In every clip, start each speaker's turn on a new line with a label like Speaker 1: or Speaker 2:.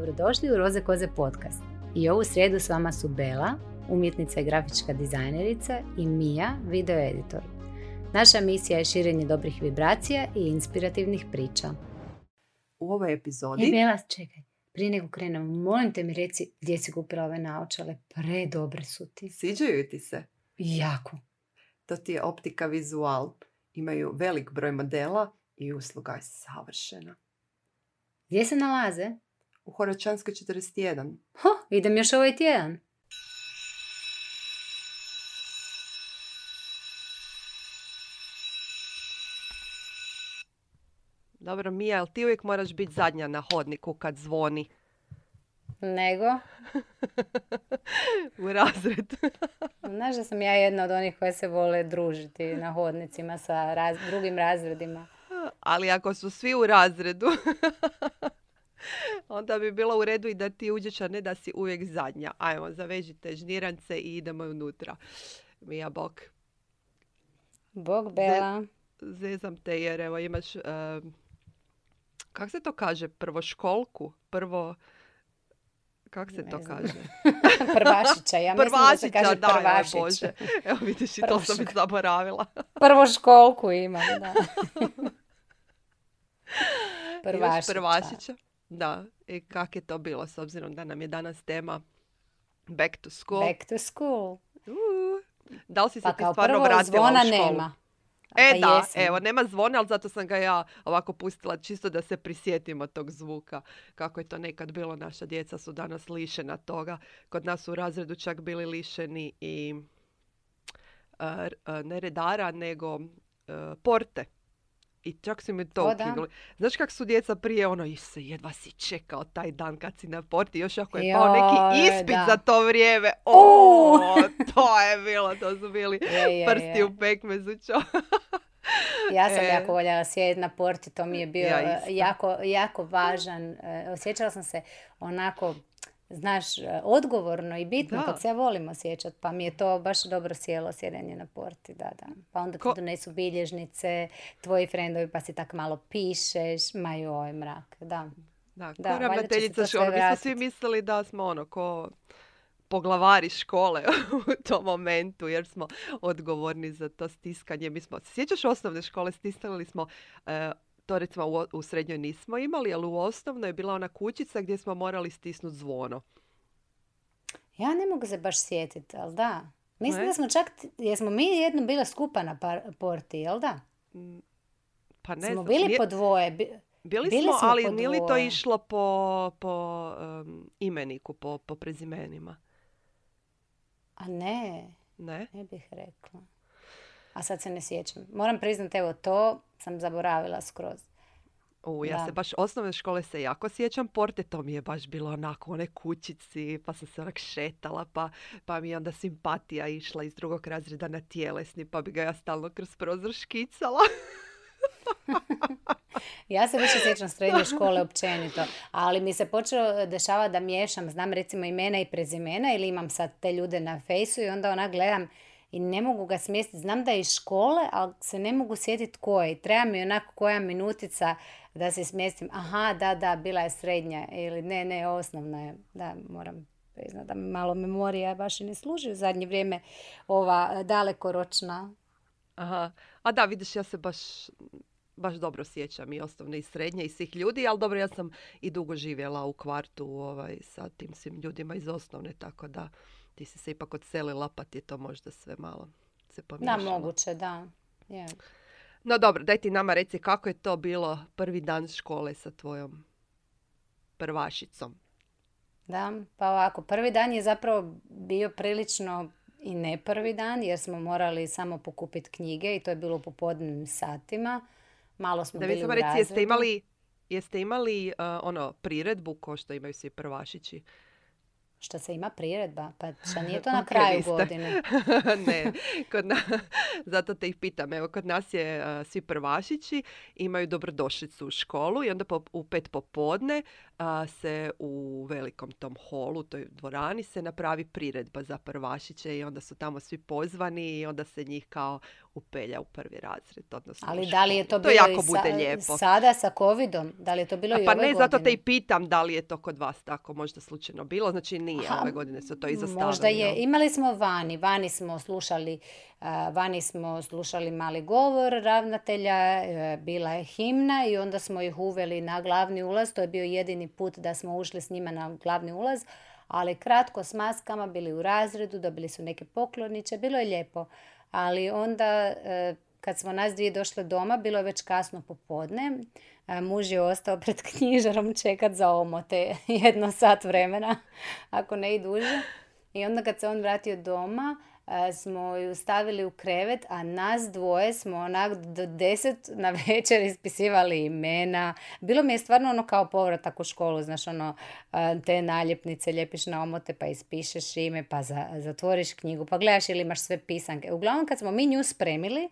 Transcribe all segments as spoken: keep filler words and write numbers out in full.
Speaker 1: Dobrodošli u Roze koze podcast. I ovu srijedu s vama su Bela, umjetnica i grafička dizajnerica, i Mija, video editor. Naša misija je širenje dobrih vibracija i inspirativnih priča.
Speaker 2: U ovoj epizodi...
Speaker 1: E, Bela, čekaj. Prije nego krenemo, molim te mi reci gdje si kupila ove naočale. Predobre su ti.
Speaker 2: Sviđaju ti se?
Speaker 1: Jako.
Speaker 2: To ti je Optika Vizual. Imaju velik broj modela i usluga je savršena.
Speaker 1: Gdje se nalaze?
Speaker 2: U Horačanskoj četrdeset jedan.
Speaker 1: Ho, idem još ovaj tjedan.
Speaker 2: Dobro, Mija, jel ti uvijek moraš biti zadnja na hodniku kad zvoni?
Speaker 1: Nego?
Speaker 2: U razred.
Speaker 1: Znaš da sam ja jedna od onih koje se vole družiti na hodnicima sa raz, drugim razredima.
Speaker 2: Ali ako su svi u razredu, onda bi bilo u redu i da ti uđeš, a ne da si uvijek zadnja. Ajmo, zavežite žnirance i idemo unutra. Mija, bok.
Speaker 1: Bog, Bela.
Speaker 2: Zezam te jer evo imaš, uh, kak se to kaže, prvoškolku? Prvo, kak se
Speaker 1: ne
Speaker 2: to
Speaker 1: znam.
Speaker 2: kaže?
Speaker 1: Prvašića, ja mislim
Speaker 2: Prvašića,
Speaker 1: da se kaže
Speaker 2: da,
Speaker 1: prvašić.
Speaker 2: Bože. Evo vidiš, i to sam već zaboravila.
Speaker 1: Prvoškolku imam, da. Prvašića.
Speaker 2: Imaš prvašića. Da, i kak je to bilo s obzirom da nam je danas tema Back to School.
Speaker 1: Back to school.
Speaker 2: Uh, da li si se
Speaker 1: Pa
Speaker 2: ti
Speaker 1: kao
Speaker 2: stvarno
Speaker 1: prvo
Speaker 2: vratila
Speaker 1: zvona
Speaker 2: u školu?
Speaker 1: nema.
Speaker 2: E
Speaker 1: Pa
Speaker 2: da,
Speaker 1: jesam.
Speaker 2: evo, nema zvona, ali zato sam ga ja ovako pustila čisto da se prisjetimo tog zvuka. Kako je to nekad bilo, naša djeca su danas lišena toga. Kod nas u razredu čak bili lišeni i uh, ne redara, nego uh, porte. I čak su mi to
Speaker 1: O, da.
Speaker 2: ukinuli. Znaš kak su djeca prije, ono, Isuse, jedva si čekao taj dan kad si na porti, još ako je pao neki
Speaker 1: Joj,
Speaker 2: ispit
Speaker 1: da.
Speaker 2: za to vrijeme. O, to je bilo, to su bili
Speaker 1: Je, je,
Speaker 2: prsti
Speaker 1: je.
Speaker 2: u pekmezu. čo.
Speaker 1: Ja sam
Speaker 2: E.
Speaker 1: jako voljela sjediti na porti, to mi je bio
Speaker 2: Ja
Speaker 1: eh,
Speaker 2: isto.
Speaker 1: jako, jako važan. eh, Osjećala sam se onako, znaš, eh, odgovorno i bitno,
Speaker 2: Da.
Speaker 1: kako se ja volim osjećati, pa mi je to baš dobro sjelo sjedenje na porti, da, da. Pa onda ti
Speaker 2: Ko-
Speaker 1: donesu bilježnice, tvoji frendovi, pa si tak malo pišeš, ma joj, mrak, da.
Speaker 2: Da, ko
Speaker 1: Da, valjda će se
Speaker 2: ravnateljica
Speaker 1: to sve
Speaker 2: škole. Mi smo
Speaker 1: vratit.
Speaker 2: svi mislili da smo ono, ko poglavari škole u tom momentu, jer smo odgovorni za to stiskanje. Mi smo, sjećaš osnovne škole, stiskali smo, e, to recimo u, u srednjoj nismo imali, ali u osnovnoj je bila ona kućica gdje smo morali stisnuti zvono.
Speaker 1: Ja ne mogu se baš sjetiti, ali da. Mislim
Speaker 2: Ne?
Speaker 1: da smo čak, jesmo mi jedno bile skupa na par- porti, jel da?
Speaker 2: Pa ne
Speaker 1: Smo
Speaker 2: znam,
Speaker 1: bili
Speaker 2: nije-
Speaker 1: po dvoje. bi-
Speaker 2: bili,
Speaker 1: bili
Speaker 2: smo,
Speaker 1: smo
Speaker 2: ali
Speaker 1: po
Speaker 2: nije li to
Speaker 1: dvoje.
Speaker 2: išlo po, po um, imeniku, po, po prezimenima?
Speaker 1: A ne,
Speaker 2: Ne?
Speaker 1: ne bih rekla. A sad se ne sjećam. Moram priznati, evo, to sam zaboravila skroz.
Speaker 2: U, ja
Speaker 1: Da.
Speaker 2: se baš osnovne škole se jako sjećam porte, to mi je baš bilo onako one kućici, pa sam se onak šetala, pa, pa mi je onda simpatija išla iz drugog razreda na tjelesni, pa bi ga ja stalno kroz prozor škicala.
Speaker 1: Ja se više sjećam srednje škole općenito, ali mi se počelo dešavati da miješam, znam recimo imena i prezimena ili imam sad te ljude na fejsu i onda onak gledam i ne mogu ga smjestiti. Znam da je iz škole, ali se ne mogu sjetiti koje. I treba mi onako koja minutica da se smjestim. Aha, da, da, bila je srednja ili ne, ne, osnovna je. Da, moram priznati da mi malo memorija baš i ne služi u zadnje vrijeme ova dalekoročna.
Speaker 2: Aha. A da, vidiš, ja se baš, baš dobro sjećam i osnovne i srednje i svih ljudi, ali dobro, ja sam i dugo živjela u kvartu ovaj, sa tim svim ljudima iz osnovne, tako da ti si se ipak odselila, pa ti je to možda sve malo se
Speaker 1: Da,
Speaker 2: pomiješalo.
Speaker 1: moguće, da. Je.
Speaker 2: No dobro, daj ti nama reci kako je to bilo prvi dan škole sa tvojom prvašicom.
Speaker 1: Da, pa ovako, prvi dan je zapravo bio prilično i ne prvi dan, jer smo morali samo pokupiti knjige i to je bilo u popodnevnim satima. Malo smo
Speaker 2: Da mi
Speaker 1: bili
Speaker 2: samo
Speaker 1: u
Speaker 2: reci,
Speaker 1: razredu.
Speaker 2: jeste imali, jeste imali uh, ono, priredbu ko što imaju svi prvašići?
Speaker 1: Što se ima priredba? Pa šta nije to na
Speaker 2: Ok,
Speaker 1: kraju
Speaker 2: niste.
Speaker 1: godine?
Speaker 2: Ne, kod na... zato te ih pitam. Evo, kod nas je uh, svi prvašići imaju dobrodošlicu u školu i onda po, u pet popodne uh, se u velikom tom holu, toj dvorani, se napravi priredba za prvašiće i onda su tamo svi pozvani i onda se njih kao upelja u prvi razred. Odnosno
Speaker 1: Ali
Speaker 2: u
Speaker 1: da li je to
Speaker 2: školu.
Speaker 1: bilo
Speaker 2: jako
Speaker 1: i
Speaker 2: bude
Speaker 1: sa,
Speaker 2: lijepo.
Speaker 1: sada sa covidom? Da li je to bilo
Speaker 2: A
Speaker 1: i
Speaker 2: pa
Speaker 1: ove
Speaker 2: ne,
Speaker 1: godine?
Speaker 2: zato te i pitam da li je to kod vas tako možda slučajno bilo. Znači nije,
Speaker 1: Aha,
Speaker 2: ove godine su to izostavili.
Speaker 1: možda je.
Speaker 2: Jel?
Speaker 1: Imali smo vani. Vani smo slušali, uh, vani smo slušali mali govor ravnatelja, uh, bila je himna i onda smo ih uveli na glavni ulaz. To je bio jedini put da smo ušli s njima na glavni ulaz. Ali kratko s maskama, bili u razredu, dobili su neke pokloniće, bilo je lijepo. Ali onda uh, kad smo nas dvije došle doma, bilo je već kasno popodne. Uh, muž je ostao pred knjižarom čekat za omote jedno sat vremena, ako ne i duže. I onda kad se on vratio doma, uh, smo ju stavili u krevet, a nas dvoje smo onak do deset na večer ispisivali imena. Bilo mi je stvarno ono kao povratak u školu, znaš ono, uh, te naljepnice lijepiš na omote pa ispišeš ime, pa za, zatvoriš knjigu, pa gledaš ili imaš sve pisanke. Uglavnom kad smo mi nju spremili,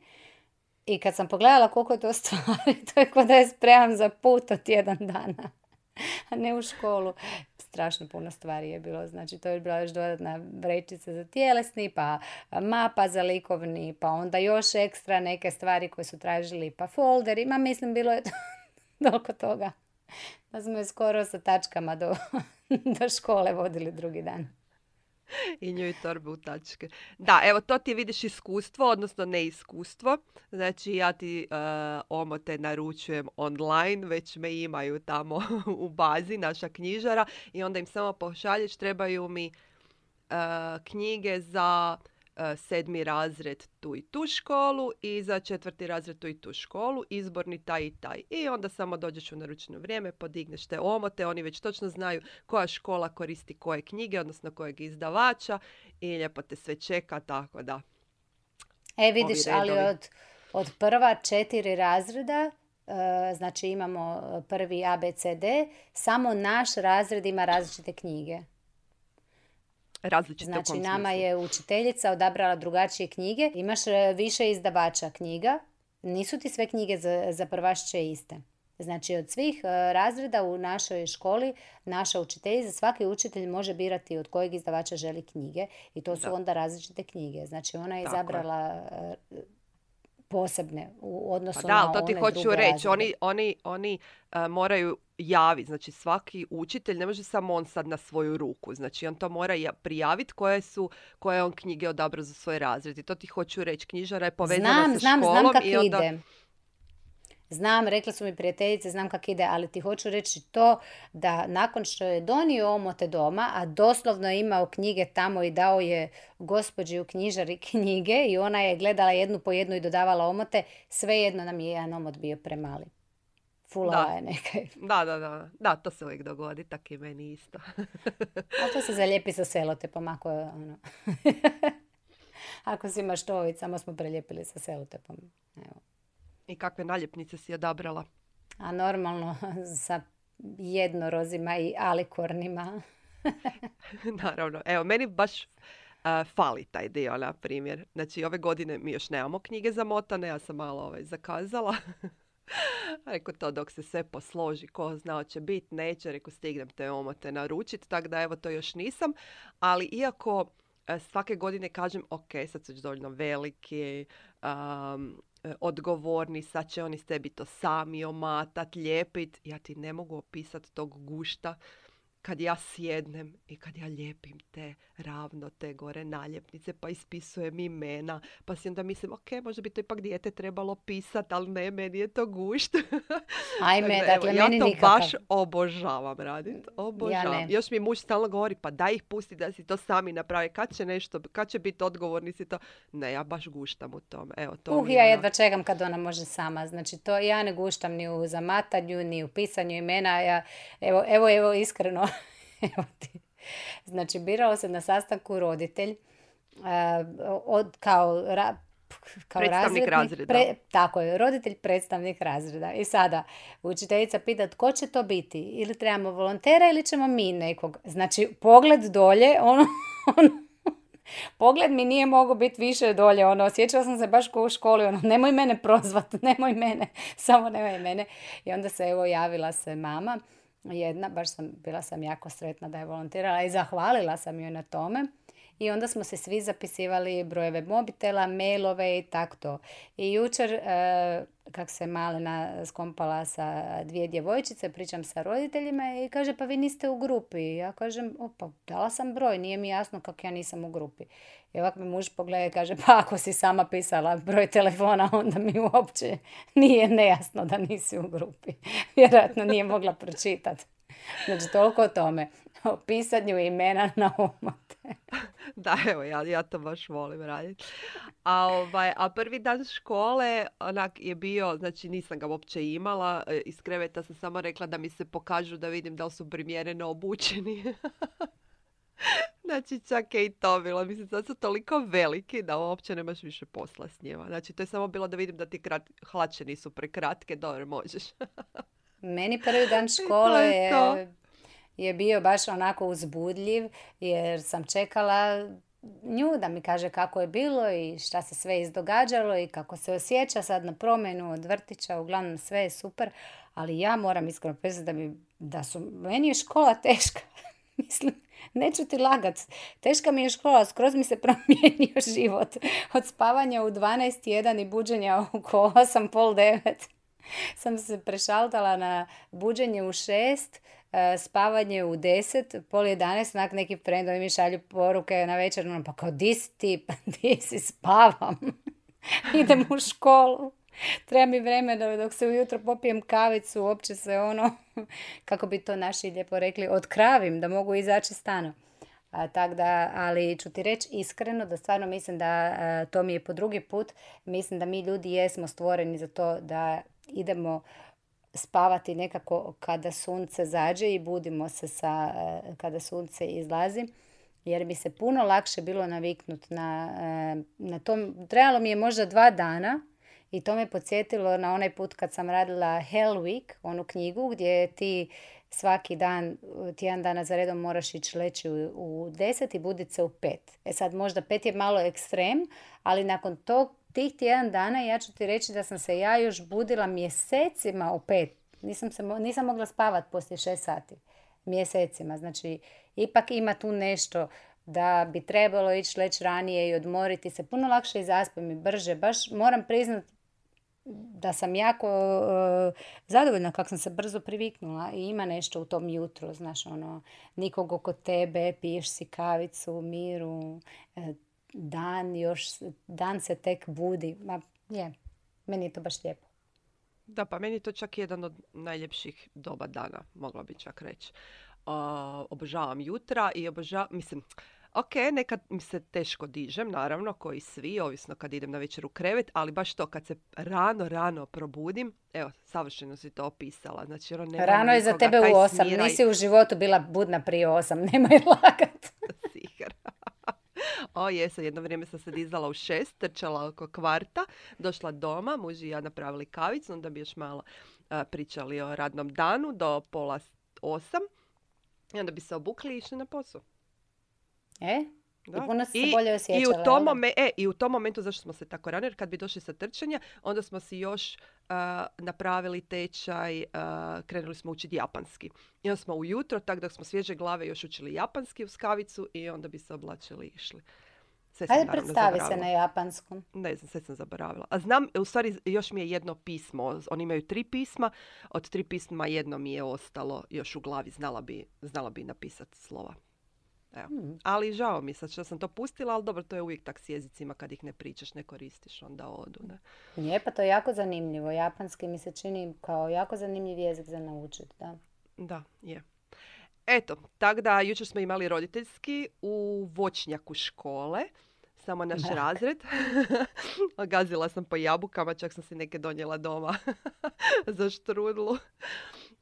Speaker 1: i kad sam pogledala koliko je to stvari, to je kao da je spremam za put od tjedan dana, a ne u školu. Strašno puno stvari je bilo. Znači, to je bila još dodatna vrećica za tjelesni, pa mapa za likovni, pa onda još ekstra neke stvari koje su tražili, pa folder. Ima, mislim, bilo je toliko toga da smo je skoro sa tačkama do, do škole vodili drugi dan.
Speaker 2: I nju i torbe u tačke. Da, evo to ti vidiš iskustvo, odnosno neiskustvo. Znači ja ti uh, omote naručujem online, već me imaju tamo u bazi, naša knjižara, i onda im samo pošalješ, trebaju mi uh, knjige za uh, sedmi razred tu i tu školu i za četvrti razred tu i tu školu, izborni taj i taj. I onda samo dođeš u naručeno vrijeme, podigneš te omote, oni već točno znaju koja škola koristi koje knjige, odnosno kojeg izdavača, i lijepo te sve čeka, tako da.
Speaker 1: E vidiš, ali od, od prva četiri razreda, uh, znači imamo prvi A, B, C, D, samo naš razred ima različite knjige.
Speaker 2: Različite
Speaker 1: znači,
Speaker 2: u kom
Speaker 1: nama
Speaker 2: smislu?
Speaker 1: je učiteljica odabrala drugačije knjige. Imaš e, više izdavača knjiga. Nisu ti sve knjige za, za prvašiće iste. Znači, od svih e, razreda u našoj školi, naša učiteljica, svaki učitelj može birati od kojeg izdavača želi knjige. I to su
Speaker 2: Da.
Speaker 1: onda različite knjige. Znači, ona je
Speaker 2: Tako je.
Speaker 1: izabrala e, posebne u odnosu
Speaker 2: Pa
Speaker 1: na
Speaker 2: da, ali to ti
Speaker 1: one
Speaker 2: hoću
Speaker 1: druge
Speaker 2: reći.
Speaker 1: razrede.
Speaker 2: Oni, oni, oni uh, moraju javiti. Znači svaki učitelj ne može samo on sad na svoju ruku. Znači on to mora ja- prijaviti koje su, koje je on knjige odabrao za svoj razred. I to ti hoću reći. Knjižara je povezana
Speaker 1: Znam,
Speaker 2: sa
Speaker 1: znam,
Speaker 2: školom
Speaker 1: znam kak
Speaker 2: i onda...
Speaker 1: ide. Znam, rekla su mi prijateljice, znam kak ide, ali ti hoću reći to da nakon što je donio omote doma, a doslovno je imao knjige tamo i dao je gospođi u knjižari knjige i ona je gledala jednu po jednu i dodavala omote, svejedno nam je jedan omot bio premali. Fulala
Speaker 2: Da.
Speaker 1: je neka.
Speaker 2: Da, da, da. Da, to se uvijek dogodi. Tak i meni isto.
Speaker 1: Ali to se zalijepi sa selotepom ako je ono... Ako si maštovit, samo smo prelijepili sa selotepom. Evo.
Speaker 2: I kakve naljepnice si odabrala?
Speaker 1: A normalno sa jednorozima i alikornima.
Speaker 2: Naravno. Evo, meni baš uh, fali taj dio, na primjer. Znači, ove godine mi još nemamo knjige zamotane, ja sam malo ovaj, zakazala. Rekao to dok se sve posloži, ko zna hoće biti, neće, rekao stignem te omote naručiti, tako da evo to još nisam. Ali iako uh, svake godine kažem, ok, sad su već dovoljno veliki, um, odgovorni, sad će oni s tebi to sami omatat, lijepit. Ja ti ne mogu opisati tog gušta kad ja sjednem i kad ja lijepim te ravno, te gore naljepnice, pa ispisujem imena, pa si onda mislim, ok, možda bi to ipak dijete trebalo pisat, ali ne, meni je to gušt.
Speaker 1: Ajme,
Speaker 2: Tako da,
Speaker 1: dakle,
Speaker 2: evo,
Speaker 1: meni
Speaker 2: ja to
Speaker 1: nikakav.
Speaker 2: baš obožavam radit. Obožavam.
Speaker 1: ne.
Speaker 2: Još mi muž stalno govori, pa daj ih pusti da si to sami napravi. Kad će nešto, kad će biti odgovorni si to? Ne, ja baš guštam u tome. Evo, to
Speaker 1: Uh,
Speaker 2: mi je
Speaker 1: ja
Speaker 2: ono-
Speaker 1: jedva čekam kad ona može sama. Znači, to ja ne guštam ni u zamatanju, ni u pisanju imena. Ja, evo, evo, evo, iskreno. Evo ti. Znači, biralo se na sastanku roditelj uh, od, kao, ra, kao
Speaker 2: Predstavnik
Speaker 1: razrednik,
Speaker 2: razreda.
Speaker 1: pre- tako je, roditelj predstavnik razreda. I sada učiteljica pita tko će to biti? Ili trebamo volontera ili ćemo mi nekog? Znači, pogled dolje, ono, ono pogled mi nije mogao biti više dolje, ono, osjećala sam se baš kao u školi, ono, nemoj mene prozvat, nemoj mene, samo nemoj mene. I onda se, evo, javila se mama, jedna, baš sam, bila sam jako sretna da je volontirala i zahvalila sam joj na tome. i onda smo se svi zapisivali brojeve mobitela, mailove i tako to. I jučer, e, kak se Malena skompala sa dvije djevojčice, pričam sa roditeljima i kaže pa vi niste u grupi. Ja kažem opa, dala sam broj, nije mi jasno kako ja nisam u grupi. I ovako me muž pogleda i kaže pa ako si sama pisala broj telefona onda mi uopće nije nejasno da nisi u grupi. Vjerojatno nije mogla pročitati. Znači toliko o tome. O pisanju imena na omote.
Speaker 2: Da, evo, ja, ja to baš volim raditi. A, ovaj, a prvi dan škole onak je bio, znači nisam ga uopće imala, iz kreveta sam samo rekla da mi se pokažu da vidim da li su primjereno obučeni. Znači čak je i to bilo. Mislim, sad su toliko veliki da uopće nemaš više posla s njima. Znači to je samo bilo da vidim da ti krat... hlače nisu prekratke, dobro možeš.
Speaker 1: Meni prvi dan škole je, je, je bio baš onako uzbudljiv jer sam čekala nju da mi kaže kako je bilo i šta se sve izdogađalo i kako se osjeća sad na promjenu od vrtića. Uglavnom sve je super, ali ja moram iskreno priznati da, mi, da su, meni je škola teška. Mislim, neću ti lagat. Teška mi je škola, skroz mi se promijenio život. Od spavanja u dvanaest jedan i buđenja oko osam, pol devet. Sam se prešaltala na buđenje u šest, spavanje u deset, pol jedanaest, onak neki frendovi mi šalju poruke na večer, no, pa kao di si ti, pa di si, spavam. Idem u školu. Treba mi vremena dok se ujutro popijem kavicu, uopće se ono, kako bi to naši lijepo rekli, otkravim da mogu izaći stano. A, tak da, ali ću ti reći iskreno da stvarno mislim da a, to mi je po drugi put, mislim da mi ljudi jesmo stvoreni za to da idemo spavati nekako kada sunce zađe i budimo se sa, kada sunce izlazi. Jer bi se puno lakše bilo naviknuti na, na tom. Trebalo mi je možda dva dana i to me podsjetilo na onaj put kad sam radila Hell Week, onu knjigu gdje ti svaki dan, tjedan dana za redom moraš ići leći u, u deset i buditi se u pet. E sad možda pet je malo ekstrem, ali nakon tog, tih tjedan dana ja ću ti reći da sam se ja još budila mjesecima u pet. Nisam, se, nisam mogla spavati poslije šest sati. Mjesecima. Znači, ipak ima tu nešto da bi trebalo ići leći ranije i odmoriti se. Puno lakše i zaspim i brže. Baš moram priznati da sam jako uh, zadovoljna kako sam se brzo priviknula i ima nešto u tom jutru, znaš, ono, nikog oko tebe, piješ si kavicu u miru, dan još, dan se tek budi. Ma, je, meni je to baš lijepo.
Speaker 2: Da, pa meni je to čak jedan od najljepših doba dana, mogla bi čak reći. Uh, obožavam jutra i obožavam, mislim, ok, nekad mi se teško dižem, naravno, koji svi, ovisno kad idem na večer u krevet, ali baš to, kad se rano, rano probudim, evo, savršeno si to opisala. Znači, ono, nema
Speaker 1: rano je za tebe u osam, smiraj. Nisi u životu bila budna prije osam, nemoj lagat.
Speaker 2: Sigurno. O, jesam, jedno vrijeme sam se dizala u šest, trčala oko kvarta, došla doma, muž i ja napravili kavicu, onda bi još malo a, pričali o radnom danu do pola osam i onda bi se obukli i išli na posao.
Speaker 1: E?
Speaker 2: Da.
Speaker 1: I puno si se
Speaker 2: I,
Speaker 1: bolje osjećala.
Speaker 2: I u, tom momen, e, I u tom momentu, zašto smo se tako rano, jer kad bi došli sa trčanja, onda smo si još uh, napravili tečaj, uh, krenuli smo učiti japanski. I onda smo ujutro, tako da smo svježe glave još učili japanski uz kavicu i onda bi se oblačili i išli. Sve sam,
Speaker 1: hajde predstavi se na japanskom.
Speaker 2: Ne znam, sve sam zaboravila. A znam, u stvari još mi je jedno pismo. Oni imaju tri pisma. Od tri pisma jedno mi je ostalo još u glavi. Znala bi, znala bi napisati slova. Evo. Hmm. Ali žao mi sad što sam to pustila, ali dobro, to je uvijek tak s jezicima kad ih ne pričaš, ne koristiš, onda odu. Ne?
Speaker 1: Je, pa to je jako zanimljivo. Japanski mi se čini kao jako zanimljiv jezik za naučiti. Da,
Speaker 2: da je. Eto, tako da jučer smo imali roditeljski u voćnjaku škole. Samo naš Brak. razred. Gazila sam po jabukama, čak sam si neke donijela doma za štrudlu.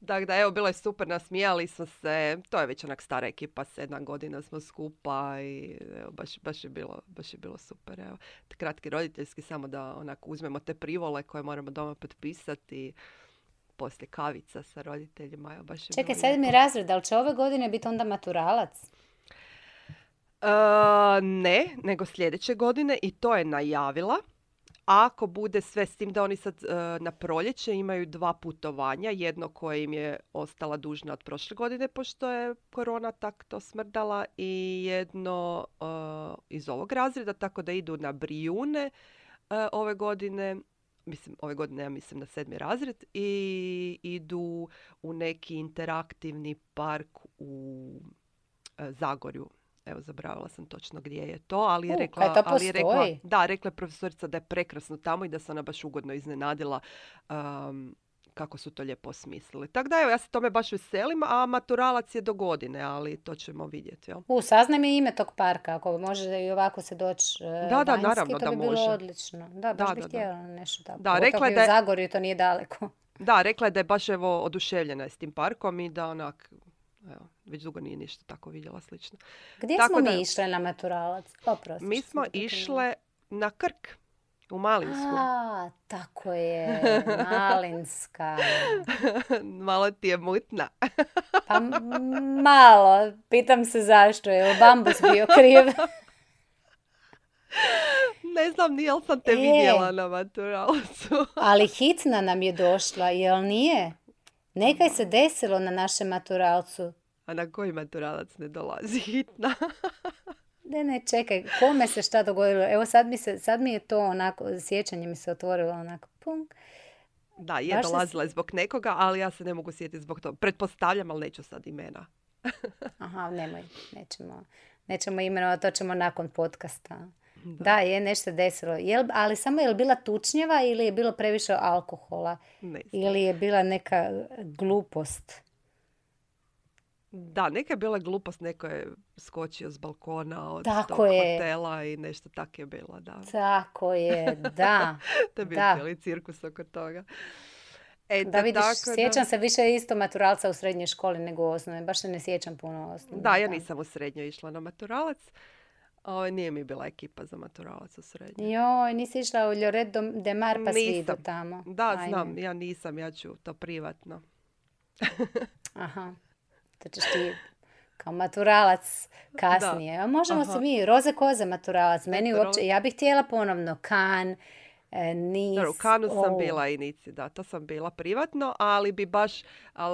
Speaker 2: Tako da, evo, bilo je super, nasmijali smo se. To je već onak stara ekipa, sedam godina smo skupa i evo, baš, baš, je bilo, baš je bilo super. Evo. Kratki roditeljski, samo da onako uzmemo te privole koje moramo doma potpisati. Poslije kavica sa roditeljima. Evo, baš je
Speaker 1: čekaj, sedmi razred, ali će ove godine biti onda maturalac?
Speaker 2: Uh, ne, nego sljedeće godine i to je najavila, ako bude sve s tim da oni sad uh, na proljeće imaju dva putovanja, jedno koje im je ostala dužna od prošle godine pošto je korona tak to smrdala i jedno uh, iz ovog razreda, tako da idu na Brijune uh, ove godine, mislim ove godine ja mislim na sedmi razred i idu u neki interaktivni park u uh, Zagorju. Evo, zaboravila sam točno gdje je to, ali je
Speaker 1: U,
Speaker 2: rekla,
Speaker 1: kaj to
Speaker 2: ali je rekla,
Speaker 1: postoji?
Speaker 2: da, rekla je profesorica da je prekrasno tamo i da se ona baš ugodno iznenadila um, kako su to lijepo osmislili. Tako da evo, ja se tome baš veselim, a maturalac je do godine, ali to ćemo vidjeti. Jel?
Speaker 1: U, saznaj mi ime tog parka, ako može i ovako se doći e,
Speaker 2: Da, da,
Speaker 1: vanjski,
Speaker 2: naravno
Speaker 1: to
Speaker 2: da
Speaker 1: bi bilo
Speaker 2: može.
Speaker 1: odlično. Da, baš
Speaker 2: Da,
Speaker 1: bih
Speaker 2: da, da.
Speaker 1: htjela nešto tako.
Speaker 2: Da,
Speaker 1: Pogotovo
Speaker 2: rekla je
Speaker 1: i
Speaker 2: da
Speaker 1: u
Speaker 2: je-
Speaker 1: Zagorju, to nije daleko.
Speaker 2: Da, rekla je da je baš evo oduševljena je s tim parkom i da onak, evo, već dugo nije ništa tako vidjela slično.
Speaker 1: Gdje
Speaker 2: Tako
Speaker 1: smo
Speaker 2: da-
Speaker 1: mi išle na maturalac? Oprosti.
Speaker 2: Mi
Speaker 1: što
Speaker 2: smo
Speaker 1: sam te prekinula.
Speaker 2: išle na Krk, u Malinsku.
Speaker 1: A, tako je, Malinska.
Speaker 2: Malo ti je mutna.
Speaker 1: Pa m- malo, pitam se zašto, je li bambus bio kriv?
Speaker 2: Ne znam, nije li sam te
Speaker 1: E.
Speaker 2: vidjela na maturalcu.
Speaker 1: Ali hitna nam je došla, jel nije? Nekaj se desilo na našem maturalcu.
Speaker 2: A na koji maturalac ne dolazi hitna?
Speaker 1: Ne, ne, čekaj, kome se šta dogodilo? Evo sad mi, se, sad mi je to onako, sjećanje mi se otvorilo onako, pum.
Speaker 2: Da, je
Speaker 1: Baš se
Speaker 2: dolazila je zbog nekoga, ali ja se ne mogu sjetiti zbog toga. Pretpostavljam, ali neću sad imena.
Speaker 1: Aha, nemoj, nećemo, nećemo imenovati, to ćemo nakon podcasta. Da, je nešto se desilo. Jel, ali samo je li bila tučnjava ili je bilo previše alkohola?
Speaker 2: Ne znam.
Speaker 1: Ili je bila neka glupost?
Speaker 2: Da, neka je bila glupost, neko je skočio s balkona od
Speaker 1: Tako
Speaker 2: tog
Speaker 1: je.
Speaker 2: hotela i nešto tak je bilo, da.
Speaker 1: Tako je, da.
Speaker 2: To je bio
Speaker 1: da.
Speaker 2: cijeli cirkus oko toga. Eto,
Speaker 1: Da vidiš,
Speaker 2: tako
Speaker 1: sjećam se više isto maturalca u srednjoj školi nego u osnovnoj. Baš se ne sjećam puno u osnovnoj.
Speaker 2: Da, ja nisam u srednjoj išla na maturalac. O, nije mi bila ekipa za maturalac u srednjoj.
Speaker 1: Joj, nisi išla u Lloret de Mar pa svi idu
Speaker 2: Nisam.
Speaker 1: tamo.
Speaker 2: Da,
Speaker 1: Ajme.
Speaker 2: znam, ja nisam, ja ću to privatno.
Speaker 1: Aha, to ćeš ti kao maturalac kasnije. A možemo
Speaker 2: Aha.
Speaker 1: se mi, roze koze maturalac. Meni
Speaker 2: Eto,
Speaker 1: uopće, ja bih htjela ponovno Kan, e, Nis.
Speaker 2: Dobro, u Kanu sam
Speaker 1: o,
Speaker 2: bila i Nici, da, to sam bila privatno, ali bi baš, al,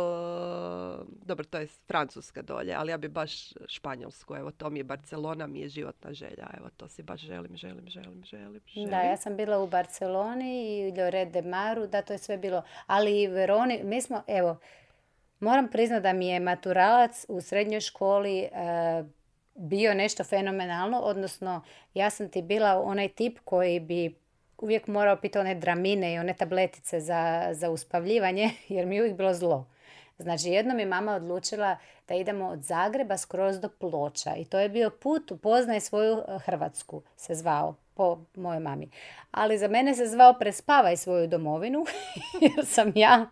Speaker 2: dobro, to je Francuska dolje, ali ja bi baš Španjolsku, evo, to mi je Barcelona, mi je životna želja, evo, to si baš želim, želim, želim, želim, želim.
Speaker 1: Da, ja sam bila u Barceloni i u Lloret de Maru, da, to je sve bilo. Ali i Veroni, mi smo, evo, moram priznati da mi je maturalac u srednjoj školi e, bio nešto fenomenalno, odnosno ja sam ti bila onaj tip koji bi uvijek morao piti one dramine i one tabletice za, za uspavljivanje, jer mi je uvijek bilo zlo. Znači, jednom je mama odlučila da idemo od Zagreba skroz do Ploča i to je bio put upoznaj svoju eh, Hrvatsku, se zvao po mojoj mami. Ali za mene se zvao prespavaj svoju domovinu, jer sam ja,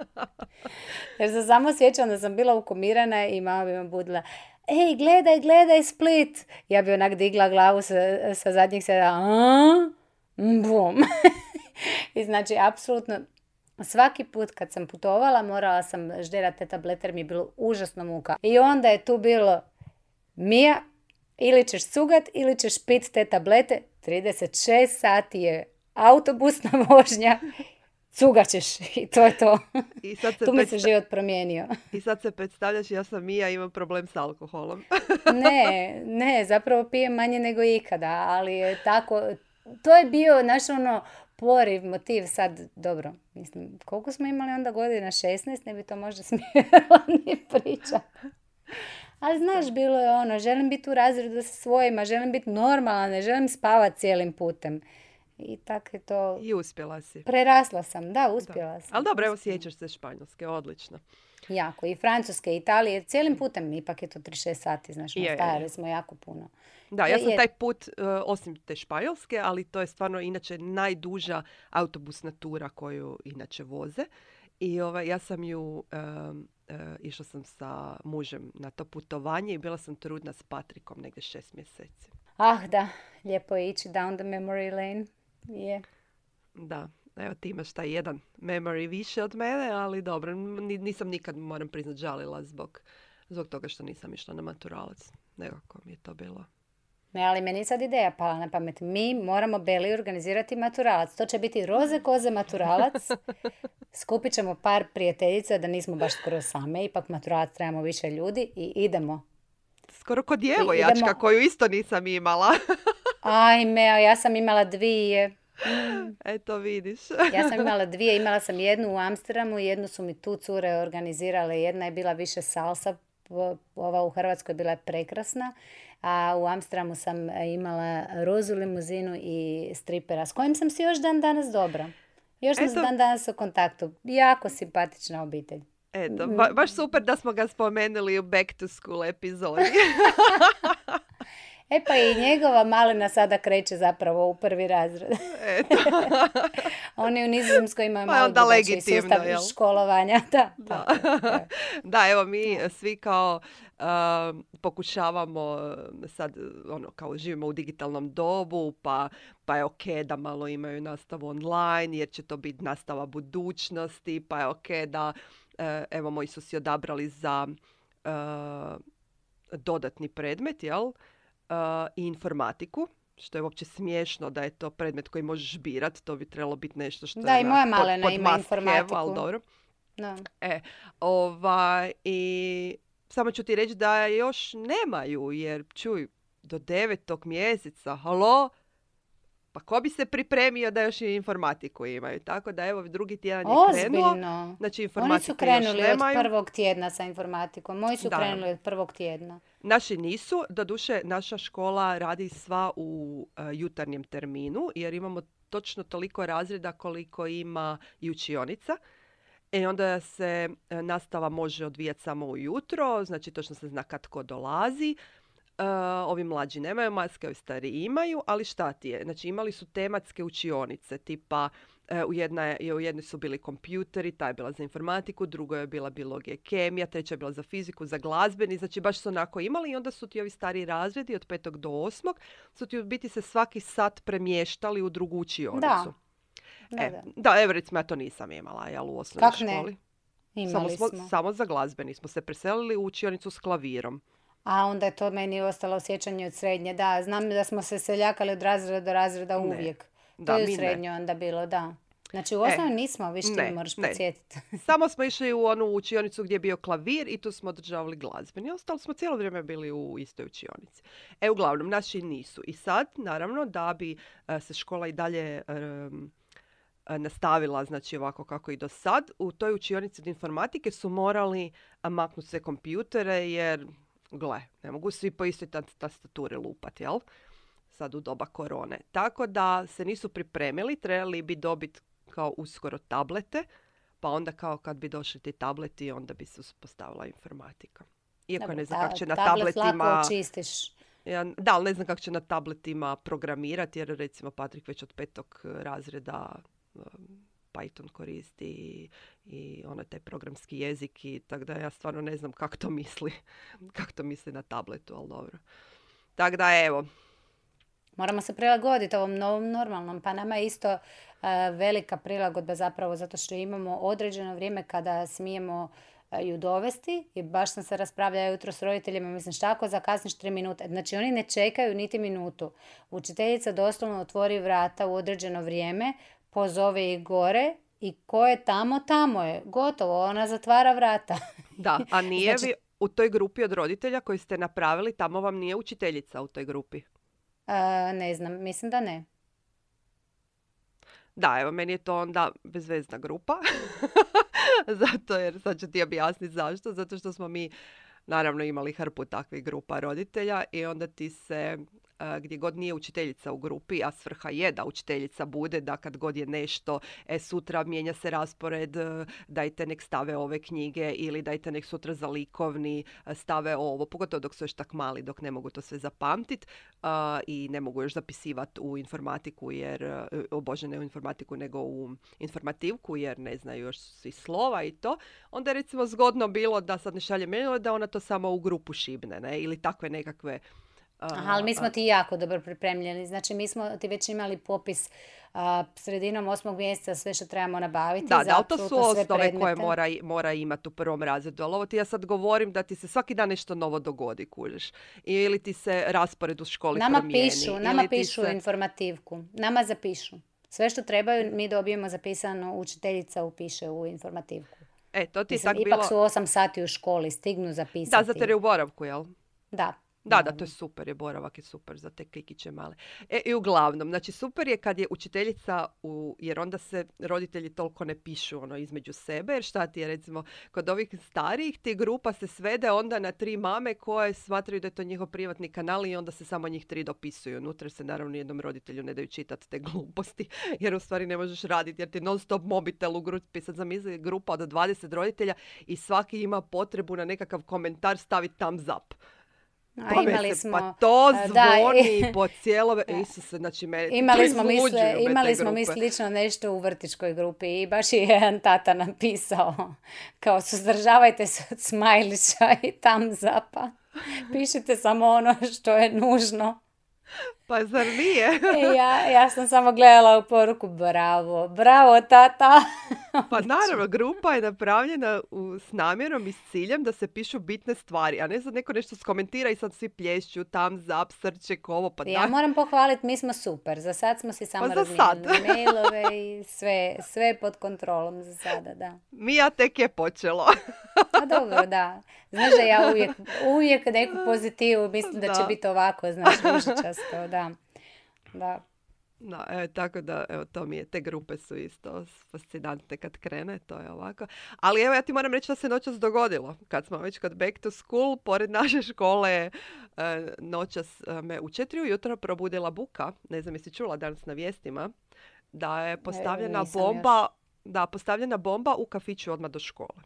Speaker 1: jer se samo sjećam da sam bila ukomirana i mama bi me budila, ej, gledaj, gledaj Split. Ja bi onak digla glavu sa, sa zadnjeg sjeda, a? Bum. I znači, apsolutno, svaki put kad sam putovala morala sam žderati te tablete jer mi je bilo užasno muka. I onda je tu bilo, Mija, ili ćeš cugat ili ćeš pit te tablete. trideset šest sati je autobusna vožnja. Cugat ćeš i to je to.
Speaker 2: I sad se,
Speaker 1: Tu mi
Speaker 2: predsta-
Speaker 1: se život promijenio.
Speaker 2: I sad se predstavljaš, ja sam Mija, imam problem s alkoholom.
Speaker 1: Ne, ne, zapravo pijem manje nego ikada, ali je tako, to je bio naš ono poriv, motiv sad, dobro, mislim, koliko smo imali onda godina, šesnaest, ne bi to možda smjela ni pričat. Ali znaš, bilo je ono, želim biti u razredu sa svojima, želim biti normalna, ne želim spavati cijelim putem. I tako je to,
Speaker 2: I uspjela si.
Speaker 1: prerasla sam, da, uspjela sam.
Speaker 2: Ali dobro, evo
Speaker 1: uspjela.
Speaker 2: sjećaš se Španjolske, odlično.
Speaker 1: Jako, i Francuske, i Italije, cijelim putem, ipak je to trideset šest sati, znaš,
Speaker 2: Je, je, je.
Speaker 1: stajali smo jako puno.
Speaker 2: Da, ja
Speaker 1: To
Speaker 2: sam
Speaker 1: je-
Speaker 2: taj put, uh, osim te Španjolske, ali to je stvarno inače najduža autobusna tura koju inače voze. I ovaj, ja sam ju, um, uh, išla sam sa mužem na to putovanje i bila sam trudna s Patrikom negdje šest mjeseci.
Speaker 1: Ah, da, lijepo je ići down the memory lane. Je.
Speaker 2: Da, evo ti imaš taj jedan memory više od mene, ali dobro, ni- nisam nikad, moram priznat, žalila zbog, zbog toga što nisam išla na maturalac. Nekako mi je to bilo
Speaker 1: Ne, ali meni sad ideja pala na pamet. Mi moramo Beli organizirati maturalac. To će biti roze koze maturalac. Skupit ćemo par prijateljica da nismo baš skoro same. Ipak maturalac trebamo više ljudi i idemo.
Speaker 2: Skoro kod djevojjačka idemo... koju isto nisam imala.
Speaker 1: Ajme, a ja sam imala dvije. Mm.
Speaker 2: Eto vidiš.
Speaker 1: Ja sam imala dvije. Imala sam jednu u Amsterdamu, jednu su mi tu cure organizirale. Jedna je bila više salsa. Ova u Hrvatskoj bila je prekrasna, a u Amsterdamu sam imala rozu limuzinu i stripera s kojim sam si još dan danas dobra. Još smo dan danas u kontaktu. Jako simpatična obitelj.
Speaker 2: Eto, ba- baš super da smo ga spomenuli u Back to School epizodi.
Speaker 1: E pa i njegova malina sada kreće zapravo u prvi razred.
Speaker 2: Eto.
Speaker 1: Oni u Nizozemskoj imaju
Speaker 2: pa
Speaker 1: malo drugačiji sustav
Speaker 2: jel?
Speaker 1: školovanja. Da,
Speaker 2: da. Da. da, evo mi svi kao uh, pokušavamo sad, ono, kao živimo u digitalnom dobu, pa, pa je ok da malo imaju nastavu online, jer će to biti nastava budućnosti, pa je ok da, uh, evo, moji su si odabrali za uh, dodatni predmet, jel? Uh, i informatiku, što je uopće smiješno da je to predmet koji možeš birat, to bi trebalo biti nešto što
Speaker 1: da,
Speaker 2: je
Speaker 1: i moja malena ima informatiku.
Speaker 2: Ali dobro.
Speaker 1: Da.
Speaker 2: E, ovaj, i samo ću ti reći da još nemaju, jer čuj, do devetog mjeseca, halo, pa ko bi se pripremio da još i informatiku imaju? Tako da evo drugi tjedan je
Speaker 1: Ozbiljno.
Speaker 2: krenuo. Znači informatiku
Speaker 1: Oni su krenuli
Speaker 2: još
Speaker 1: od prvog tjedna sa informatikom. Moji su da. krenuli od prvog tjedna.
Speaker 2: Naši nisu. Doduše, naša škola radi sva u uh, jutarnjem terminu, jer imamo točno toliko razreda koliko ima i učionica. I onda se uh, nastava može odvijati samo ujutro, znači točno se zna kad tko dolazi. Uh, ovi mlađi nemaju maske, ovi stariji imaju, ali šta ti je? Znači imali su tematske učionice, tipa uh, u, jedna, u jednoj su bili kompjuteri, ta je bila za informatiku, drugo je bila biologija i kemija, treća je bila za fiziku, za glazbeni, znači baš su onako imali i onda su ti ovi stariji razredi od petog do osmog su ti u biti se svaki sat premještali u drugu učionicu.
Speaker 1: Da. Da,
Speaker 2: e,
Speaker 1: da.
Speaker 2: da, evo recimo ja to nisam imala, jel, u osnovnoj
Speaker 1: Kak
Speaker 2: školi.
Speaker 1: Ne?
Speaker 2: Samo,
Speaker 1: Imali
Speaker 2: smo,
Speaker 1: smo.
Speaker 2: samo za glazbeni smo se preselili u učionicu s klavirom.
Speaker 1: A onda je to meni ostalo sjećanje od srednje. Da, znam da smo se seljakali od razreda do razreda
Speaker 2: ne.
Speaker 1: uvijek. To
Speaker 2: da,
Speaker 1: je u srednjoj onda bilo, da. Znači u osnovi e, nismo, viš ti moraš podsjetiti.
Speaker 2: Samo smo išli u onu učionicu gdje je bio klavir i tu smo održavali glazbeni. Ostalo smo cijelo vrijeme bili u istoj učionici. E, uglavnom, naši nisu. I sad, naravno, da bi uh, se škola i dalje um, nastavila, znači ovako kako i do sad, u toj učionici od informatike su morali maknuti sve kompjutere, jer gle, ne mogu svi po istoj tastaturi lupati, jel? Sad u doba korone. Tako da se nisu pripremili, trebali bi dobiti kao uskoro tablete, pa onda kao kad bi došli ti tableti, onda bi se uspostavila informatika. Iako Dobre, ne znam ta, kako će na
Speaker 1: tablet
Speaker 2: tabletima...
Speaker 1: lako očistiš.
Speaker 2: Ja, da, ali ne znam kako će na tabletima programirati, jer recimo Patrik već od petog razreda um, Python koristi i, i ono taj programski jezik, i tako da ja stvarno ne znam kako to misli, kako to misli na tabletu, ali dobro. Tako da evo.
Speaker 1: Moramo se prilagoditi ovom novom normalnom, pa nama je isto uh, velika prilagodba zapravo zato što imamo određeno vrijeme kada smijemo uh, ju dovesti, i baš sam se raspravljala jutro s roditeljima, mislim šta ako zakasniš tri minute, znači oni ne čekaju niti minutu. Učiteljica doslovno otvori vrata u određeno vrijeme, pozove ih gore i ko je tamo, tamo je. Gotovo, ona zatvara vrata.
Speaker 2: Da, a nije
Speaker 1: znači,
Speaker 2: vi u toj grupi od roditelja koji ste napravili, tamo vam nije učiteljica u toj grupi?
Speaker 1: Uh, ne znam, mislim da ne.
Speaker 2: Da, evo, meni je to onda bezvezna grupa. Zato jer, sad ću ti objasniti zašto. Zato što smo mi, naravno, imali hrpu takvih grupa roditelja i onda ti se, gdje god nije učiteljica u grupi, a svrha je da učiteljica bude, da kad god je nešto, e, sutra mijenja se raspored, dajte nek stave ove knjige, ili dajte nek sutra za likovni stave ovo, pogotovo dok su još tak mali, dok ne mogu to sve zapamtiti uh, i ne mogu još zapisivati u informatiku, jer, o Bože, ne u informatiku, nego u informativku, jer ne znaju još svi slova i to. Onda je recimo zgodno bilo da sad ne šalje mailove, da ona to samo u grupu šibne, ne? Ili takve nekakve
Speaker 1: Aha, ali mi smo ti jako dobro pripremljeni. Znači, mi smo ti već imali popis a, sredinom osmog mjeseca sve što trebamo nabaviti.
Speaker 2: Da,
Speaker 1: za
Speaker 2: da, ali to su
Speaker 1: apsolutno sve
Speaker 2: osnove
Speaker 1: predmete.
Speaker 2: koje mora, mora imati u prvom razredu. Ali ovo ti ja sad govorim da ti se svaki dan nešto novo dogodi, kužiš. Ili ti se raspored u školi
Speaker 1: Nama
Speaker 2: promijeni.
Speaker 1: pišu, nama
Speaker 2: ili ti
Speaker 1: pišu
Speaker 2: se...
Speaker 1: informativku. Nama zapišu. Sve što trebaju mi dobijemo zapisano, učiteljica upiše u informativku.
Speaker 2: E, to ti je
Speaker 1: Mislim,
Speaker 2: tak
Speaker 1: ipak
Speaker 2: bilo...
Speaker 1: su osam sati u školi, stignu zapisati.
Speaker 2: Da, zato jer je u boravku, jel?
Speaker 1: Da.
Speaker 2: Da, da, to je super, je boravak je super za te kikiće male. E, i uglavnom, znači super je kad je učiteljica, u, jer onda se roditelji toliko ne pišu ono između sebe, jer šta ti je recimo, kod ovih starijih ti grupa se svede onda na tri mame koje smatraju da je to njihov privatni kanal i onda se samo njih tri dopisuju. Unutra se naravno jednom roditelju ne daju čitati te gluposti, jer u stvari ne možeš raditi, jer ti non stop mobitel u grupi, sad zamisli grupa od dvadeset roditelja i svaki ima potrebu na nekakav komentar staviti thumbs up.
Speaker 1: A,
Speaker 2: Pa
Speaker 1: imali
Speaker 2: se,
Speaker 1: smo,
Speaker 2: pa to zvoni
Speaker 1: da,
Speaker 2: po cijelo... Isuse, znači mene...
Speaker 1: Imali smo, misle, imali smo mi slično nešto u vrtićkoj grupi i baš je jedan tata napisao kao suzdržavajte se od smajlića i thumbs upa. Pišite samo ono što je nužno.
Speaker 2: Pa zar nije?
Speaker 1: E, ja, ja sam samo gledala u poruku, bravo, bravo tata.
Speaker 2: Pa naravno, grupa je napravljena u, s namjerom i s ciljem da se pišu bitne stvari, a ne sad neko nešto skomentira i sad svi plješću, thumbs up, srček, ovo, pa
Speaker 1: ja
Speaker 2: da.
Speaker 1: moram pohvaliti, mi smo super. Za sad smo si samo
Speaker 2: pa
Speaker 1: razmijenili mailove i sve, sve pod kontrolom za sada, da.
Speaker 2: Mija tek je počelo.
Speaker 1: A dobro, da. Znaš da ja uvijek, uvijek neku pozitivu mislim da, da će biti ovako, znaš, ružičasto, da. Da.
Speaker 2: No, evo, tako da, evo, to mi je, te grupe su isto fascinantne kad krene, to je ovako. Ali evo, ja ti moram reći da se noćas dogodilo. Kad smo već kod Back to School, pored naše škole, e, noćas me u četiri ujutro probudila buka, ne znam jesi čula danas na vijestima, da je postavljena
Speaker 1: e,
Speaker 2: bomba,
Speaker 1: još.
Speaker 2: da, postavljena bomba u kafiću odmah do škole.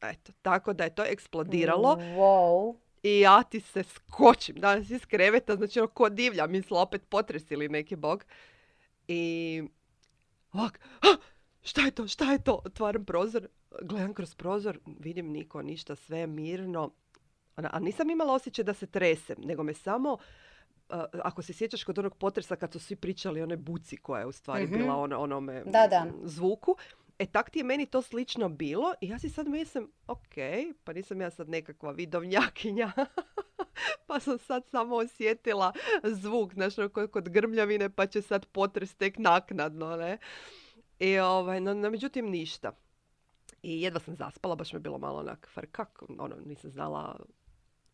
Speaker 2: Eto, tako da je to eksplodiralo.
Speaker 1: Wow.
Speaker 2: I ja ti se skočim danas iz kreveta, znači ono ko divlja, misla opet potres ili neki bog. I ovak, šta je to, šta je to? Otvaram prozor, gledam kroz prozor, vidim niko, ništa, sve je mirno. A nisam imala osjećaj da se tresem, nego me samo, uh, ako se sjećaš kod onog potresa kad su svi pričali o onoj buci koja je u stvari mm-hmm. bila ono, onome
Speaker 1: da, da.
Speaker 2: zvuku. E, tak ti je meni to slično bilo i ja si sad mislim, ok, pa nisam ja sad nekakva vidovnjakinja, pa sam sad samo osjetila zvuk, znaš, kod grmljavine, pa će sad potres tek naknadno, ne? I, ovaj, no, no, međutim, ništa. I jedva sam zaspala, baš me bilo malo onak frkak, ono, nisam znala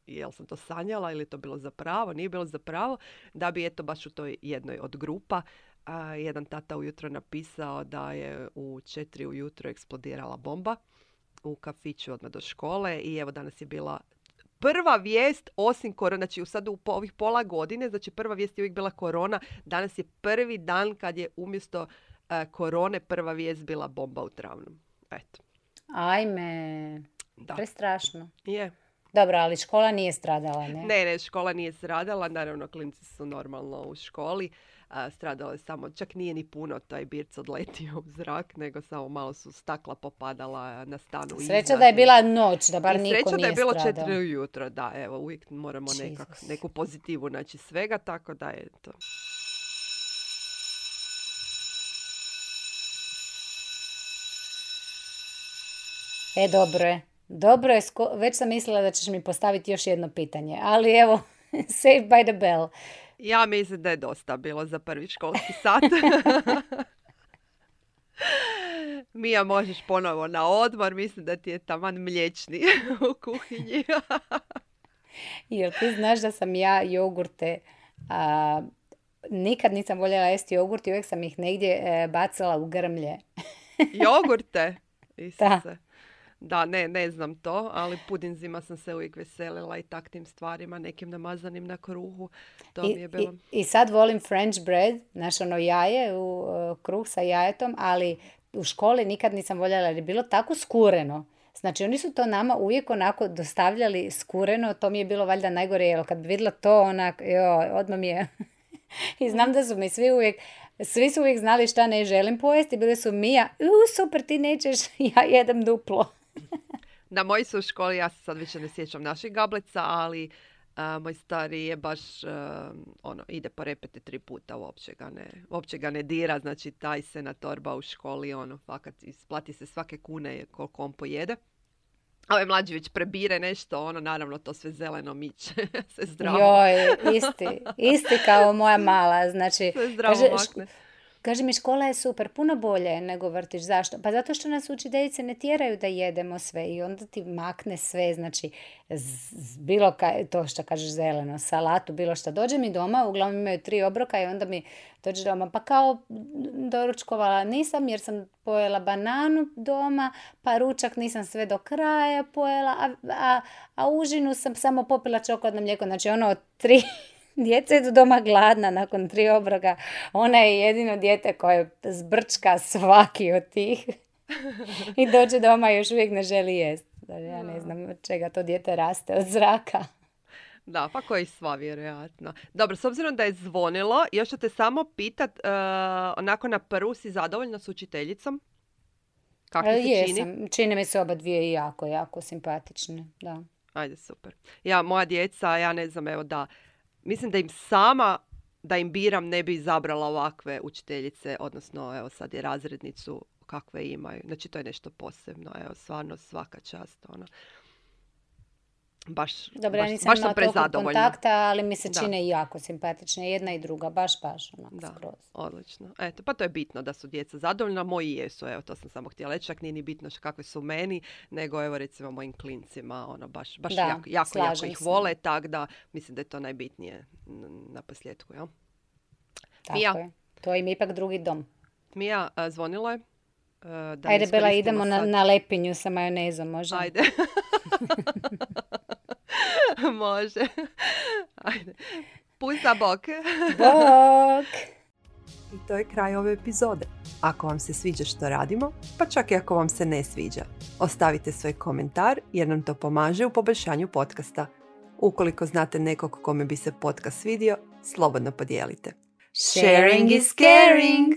Speaker 2: jel sam to sanjala ili je to bilo zapravo, nije bilo zapravo, da bi eto baš u toj jednoj od grupa a, jedan tata ujutro napisao da je u četiri ujutro eksplodirala bomba u kafiću odmah do škole i evo danas je bila prva vijest osim korona, znači sad u po, ovih pola godine, znači prva vijest je uvijek bila korona, danas je prvi dan kad je umjesto uh, korone prva vijest bila bomba u travnom. Eto.
Speaker 1: Ajme,
Speaker 2: da.
Speaker 1: Prestrašno.
Speaker 2: Je.
Speaker 1: Dobro, ali škola nije stradala, ne?
Speaker 2: Ne, ne, škola nije stradala, naravno klinci su normalno u školi. A, stradalo je samo, čak nije ni puno taj birc odletio u zrak, nego samo malo su stakla popadala na stanu.
Speaker 1: Sreća
Speaker 2: iznad.
Speaker 1: da je bila noć, da bar
Speaker 2: I
Speaker 1: niko nije
Speaker 2: stradao. Sreća da je bilo
Speaker 1: stradao.
Speaker 2: četiri ujutro, da, evo, uvijek moramo nekak, neku pozitivu naći svega, tako da je to.
Speaker 1: E, dobro je. Dobro je, sko- već sam mislila da ćeš mi postaviti još jedno pitanje, ali evo, saved by the bell.
Speaker 2: Ja mislim da je dosta bilo za prvi školski sat. Mija, možeš ponovo na odmor, mislim da ti je taman mliječni u kuhinji.
Speaker 1: Jer ti znaš da sam ja jogurte, a, nikad nisam voljela jesti jogurt i uvijek sam ih negdje e, bacala u grmlje.
Speaker 2: Jogurte? Isuse.
Speaker 1: Da.
Speaker 2: Da, ne, ne znam to, ali pudinzima sam se uvijek veselila i taktim stvarima, nekim namazanim na kruhu. To
Speaker 1: I,
Speaker 2: mi je bilo...
Speaker 1: i, I sad volim French bread, znaš ono jaje, u, uh, kruh sa jajetom, ali u školi nikad nisam voljela jer je bilo tako skureno. Znači oni su to nama uvijek onako dostavljali skureno, to mi je bilo valjda najgore, jer kad bi vidjela to onak, joj, odmah mi je... I znam da su mi svi uvijek, svi su uvijek znali šta ne želim pojesti, bili su Mija, u super ti nećeš, ja jedem duplo.
Speaker 2: Na moji su u školi, ja se sad više ne sjećam naših gablica, ali A, moj stari je baš, uh, ono, ide po repete tri puta, uopće ga ne, uopće ga ne dira, znači taj se na torba u školi, ono, fakat isplati se svake kune koliko on pojede. A ovaj mlađi već prebire nešto, ono, naravno to sve zeleno miče, sve zdravo.
Speaker 1: Joj, isti, isti kao moja mala, znači,
Speaker 2: sve zdravo
Speaker 1: kaže,
Speaker 2: makne.
Speaker 1: Kaže mi, škola je super, puno bolje nego vrtić. Zašto? Pa zato što nas učiteljice ne tjeraju da jedemo sve i onda ti makne sve, znači z- z- bilo kaj, to što kažeš zeleno, salatu, bilo što. Dođe mi doma, uglavnom imaju tri obroka i onda mi dođe doma, pa kao doručkovala nisam jer sam pojela bananu doma, pa ručak nisam sve do kraja pojela, a, a, a užinu sam samo popila čokoladno mlijeko, znači ono od tri... Djeca idu doma gladna nakon tri obroka. Ona je jedino dijete koje zbrčka svaki od tih. I dođe doma i još uvijek ne želi jest. Ja ne znam od čega to dijete raste, od zraka.
Speaker 2: Da, pa koji sva vjerojatno. Dobro, s obzirom da je zvonilo, još ću te samo pitat, uh, onako na prvu si zadovoljna s učiteljicom? Kako ti se
Speaker 1: Jesam.
Speaker 2: čini?
Speaker 1: Čine mi se oba dvije jako, jako simpatične. Da.
Speaker 2: Ajde, super. Ja, moja djeca, ja ne znam, evo da... Mislim da im sama, da im biram, ne bi izabrala ovakve učiteljice, odnosno, evo sad je razrednicu kakve imaju. Znači, to je nešto posebno, evo, stvarno svaka čast, ono. Baš,
Speaker 1: Dobro,
Speaker 2: baš,
Speaker 1: ja nisam
Speaker 2: baš sam
Speaker 1: imala toliko
Speaker 2: prezadovoljna.
Speaker 1: kontakta, ali mi se
Speaker 2: Da.
Speaker 1: čine jako simpatične. Jedna i druga, baš, baš, onako
Speaker 2: Da,
Speaker 1: skroz.
Speaker 2: odlično. Eto, pa to je bitno da su djeca zadovoljna. Moji jesu, evo, to sam samo htjela reći. Čak nije ni bitno kakve su meni, nego evo recimo mojim klincima, ono, baš, baš
Speaker 1: Da,
Speaker 2: jako, jako, jako
Speaker 1: slažem
Speaker 2: ih
Speaker 1: se.
Speaker 2: vole, tak da mislim da je to najbitnije n- na posljedku, jel?
Speaker 1: Tako
Speaker 2: Mija.
Speaker 1: je. To im je ipak drugi dom.
Speaker 2: Mija, a, zvonilo je. E, Da
Speaker 1: Ajde, Bela,
Speaker 2: iskoristimo
Speaker 1: idemo na,
Speaker 2: sad.
Speaker 1: na lepinju sa majonezom, može?
Speaker 2: Ajde. Može. Ajde. Pusta bok.
Speaker 1: Bok!
Speaker 3: I to je kraj ove epizode. Ako vam se sviđa što radimo, pa čak i ako vam se ne sviđa, ostavite svoj komentar jer nam to pomaže u poboljšanju podcasta. Ukoliko znate nekog kome bi se podcast svidio, slobodno podijelite.
Speaker 1: Sharing is caring!